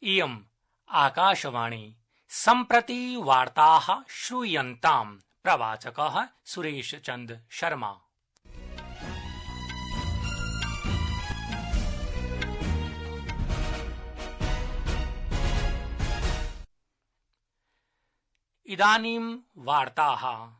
इयम् आकाशवाणी सम्प्रति वार्ताः श्रूयन्ताम्। प्रवाचकः सुरेश चंद शर्मा। इदानीं वार्ताः।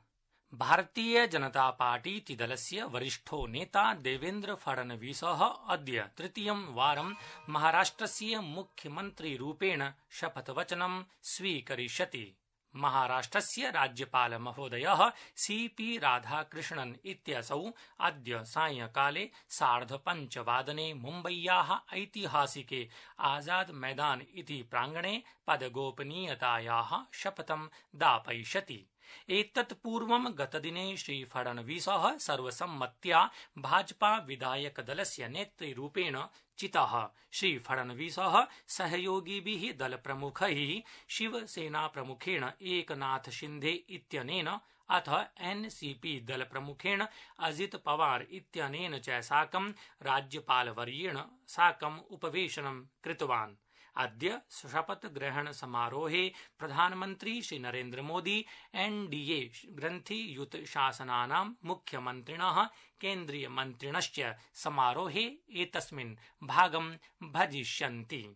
भारतीय जनता पार्टी दलस्य वरिष्ठो नेता देवेन्द्र फडणवीसः अद्य तृतीयं वारं महाराष्ट्रस्य मुख्यमन्त्रीरूपेण शपथवचनं स्वीकरिष्यति। महाराष्ट्रस्य राज्यपाल महोदयः सीपी राधाकृष्णन् इत्यसौ अद्य सायंकाले 5:30 मुम्बय्याः ऐतिहासिके आजाद मैदान इति प्राङ्गणे पदगोपनीयतायाः शपथं दापयिष्यति। एतत् पूर्वं गतदिने श्रीफडणवीसः सर्वसम्मत्या भाजपा विधायकदलस्य नेतृरूपेण चितः। श्रीफडणवीसः सहयोगिभिः दलप्रमुखैः शिवसेनाप्रमुखेण एकनाथ शिंदे इत्यनेन अथ एनसीपी दलप्रमुखेण अजित पवार इत्यनेन च साकं राज्यपालवर्येण साकम् उपवेशनं कृतवान्। अद्य शपथग्रहण समारोहे प्रधानमन्त्री श्री नरेन्द्र मोदी एनडीए ग्रन्थियुत शासनानां मुख्यमन्त्रिणः केन्द्रीयमन्त्रिणश्च समारोहे एतस्मिन् भागं भजिष्यन्ति।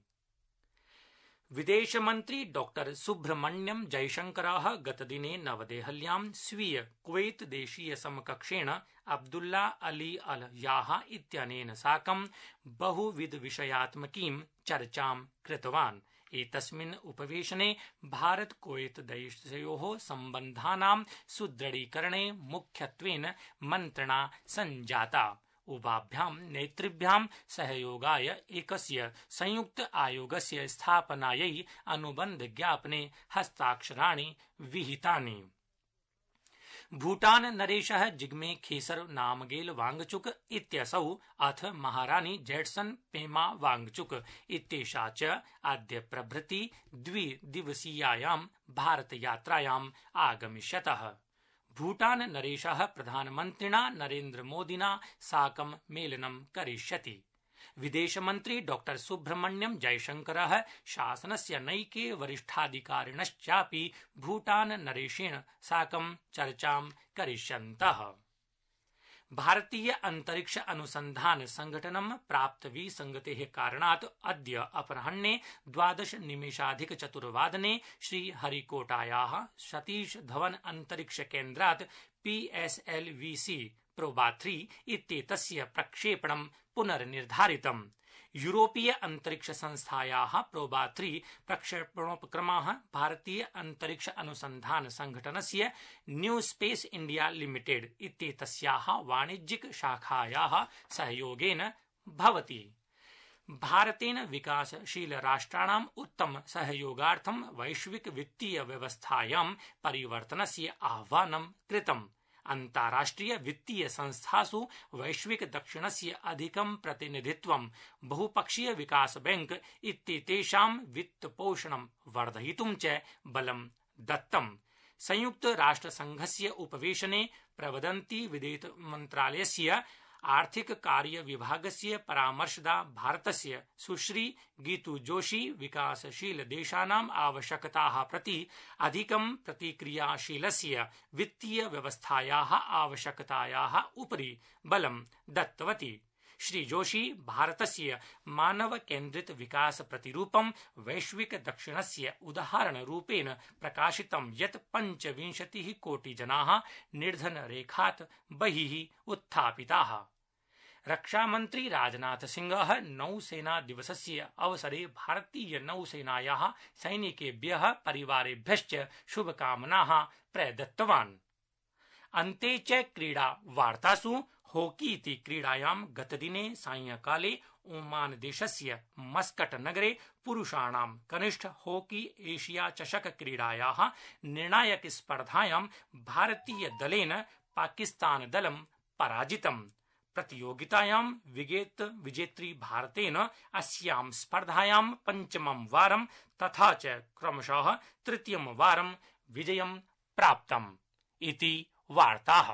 विदेशमन्त्री डॉ सुब्रह्मण्यम जयशंकरः गतदिने नवदेहल्यां स्वीय कुवैत देशीय समकक्षेण अब्दुल्ला अली अल याह इत्यनेन साकं बहुविधविषयात्मकीं चर्चां कृतवान्। एतस्मिन् उपवेशने भारत कुवैत देशयोः सम्बन्धानां सुदृढीकरणे मुख्यत्वेन मन्त्रणा सञ्जाता। उभाभ्यां नेतृभ्यां सहयोगाय एकस्य संयुक्त आयोगस्य स्थापनायै अनुबन्धज्ञापने हस्ताक्षराणि विहितानि। भूटान नरेशः जिग्मे खेसर नामगेल वांगचुक इत्यसौ अथ महारानी जैट्सन पेमा वांगचुक इत्येषा च अद्य प्रभृति द्विदिवसीयायां भारतयात्रायाम् आगमिष्यतः। भूटान नरेशः प्रधानमन्त्रिणा नरेन्द्र मोदिना साकं मेलनं करिष्यति। विदेशमन्त्री डॉ सुब्रह्मण्यम जयशंकरः शासनस्य नैके वरिष्ठाधिकारिणश्चापि भूटान नरेशेन साकं चर्चां करिष्यन्तः। भारतीय अंतरिक्ष अनुसंधान संघटनं प्राप्तविसंगतेः कारणात् अद्य अपराह्ने 12:04 श्रीहरिकोटायाः सतीश धवन अंतरिक्ष केन्द्रात् PSLV-C प्रोबा 3 इत्येतस्य प्रक्षेपणं पुनर्निर्धारितम्। यूरोपीय अंतरिक्ष संस्थायाः प्रोबा 3 प्रक्षेपणोपक्रमः भारतीय अंतरिक्ष अनुसंधान संघटनस्य न्यू स्पेस इंडिया लिमिटेड इत्येतस्याः वाणिज्यिक शाखायाः सहयोगेन भवति। भारतेन विकासशील राष्ट्राणाम् उत्तम सहयोगार्थं वैश्विक वित्तीय व्यवस्थायां परिवर्तनस्य आह्वानं कृतम्। अन्ताराष्ट्रिय वित्तीय संस्थासु वैश्विक दक्षिणस्य अधिकं प्रतिनिधित्वं बहुपक्षीय विकास बैंक इत्येतेषां वित्तपोषणं वर्धयितुं च बलं दत्तम्। संयुक्त राष्ट्रसंघस्य उपवेशने प्रवदन्ती विदेश मन्त्रालयस्य आर्थिक कार्य विभागस्य परामर्शदा भारतस्य सुश्री गीतू जोशी विकासशील देशानाम् आवश्यकताः प्रति अधिकं प्रतिक्रियाशीलस्य वित्तीय व्यवस्थायाः आवश्यकतायाः उपरि बलं दत्तवती। श्री जोशी भारतस्य मानव केन्द्रित विकास प्रतिरूपं वैश्विक दक्षिणस्य उदाहरणरूपेण प्रकाशितं यत् 25 कोटि जनाः निर्धनरेखात् बहिः उत्थापिताः। रक्षामन्त्री राजनाथ सिंहः नौसेना दिवसस्य अवसरे भारतीय नौसेनायाः सैनिकेभ्यः परिवारेभ्यश्च शुभकामनाः प्रदत्तवान्। अन्ते च क्रीडा वार्तासु हॉकी इति क्रीडायां गतदिने सायंकाले ओमान देशस्य मस्कट नगरे पुरुषाणां कनिष्ठ हॉकी एशिया चषक क्रीडायाः निर्णायक स्पर्धायां भारतीय दलेन पाकिस्तान दलं पराजितम्। प्रतियोगितायां विजेत्री भारतेन अस्यां स्पर्धायां पंचमं वारं तथा च क्रमशः तृतीयं वारं विजयं प्राप्तम् इति वार्ताः।